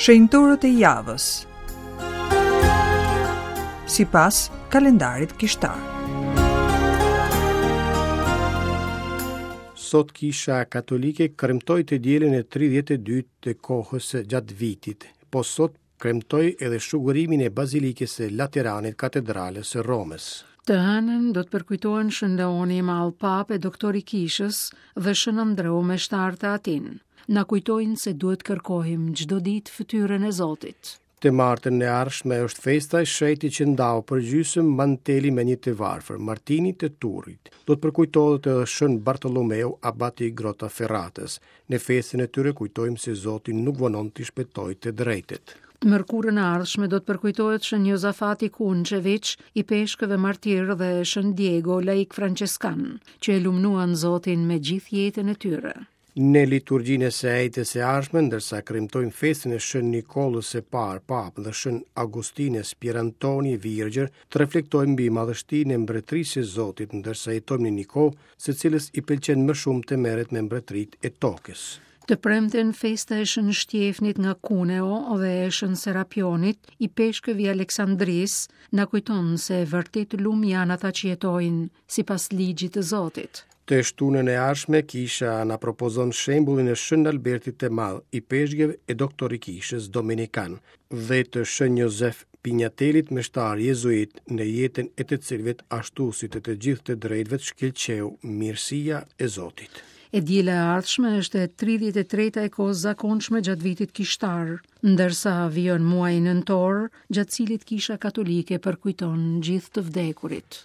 Shenjtorët e javës. Sipas kalendarit kishtar. Sot Kisha Katolike kremtoi të dielën e 32 të kohës gjatë vitit. Po sot kremtoi edhe shuguriminin e Bazilikës së Lateranit, Katedrales së Romës. Të hënën do të përkujtohen Shën Leoni i Madh Papë e Doktor i Kishës dhe Shën Andreu Meshtar të Atinë. Na kujtojnë se duhet kërkojmë çdo ditë fytyrën e Zotit. Të martën e ardhshme është festa e shenjtit që ndau përgjysmë mantelin me një të varfër, Martinit të Turit. Do të përkujtohet edhe Shën Bartolomeu, abat i Grotaferratës. Në festën e tyre kujtojmë se Zoti nuk vonon t'i shpëtojë të drejtët. Të mërkurën e ardhshme do të përkujtohet Shën Jozafati Kunçeviç, ipeshkëv e martir dhe Shën Diego, laik françeskan, që e lumnuan Zotin me gjithë jetën e tyre. Në liturgjinë e së enjtes së ardhshme, ndërsa kremtojmë festën e Shën Nikollës së Parë, Papë dhe Shën Augustinës Pierantoni Virgjër, të reflektojmë mbi madhështinë e Mbretërisë së Zotit, ndërsa jetojmë në një kohë, së cilës i pëlqen më shumë të merret me mbretëritë e tokës. Të premten festa e Shën Shtjefnit nga Cuneo dhe e Shën Serapionit, ipeshkëv i Aleksandrisë, na kujton se vërtet lum janë ata që jetojnë sipas ligjit të Zotit. Të shtunën e ardhshme Kisha na propozon shembullin e Shën Albertit të Madh, ipeshkëv e doktor i Kishës Dominikan, dhe të Shën Jozef Pignatelit meshtar jezuit, në jetën e të cilëve ashtu si të të gjithë të drejtëve shkëlqeu mirësia e Zotit. E diela e ardhshme është e 33-ta e kohës zakonshme gjatë vitit kishtar, ndërsa vijon muaji nëntor, gjatë cilit Kisha Katolike përkujton gjithë të vdekurit.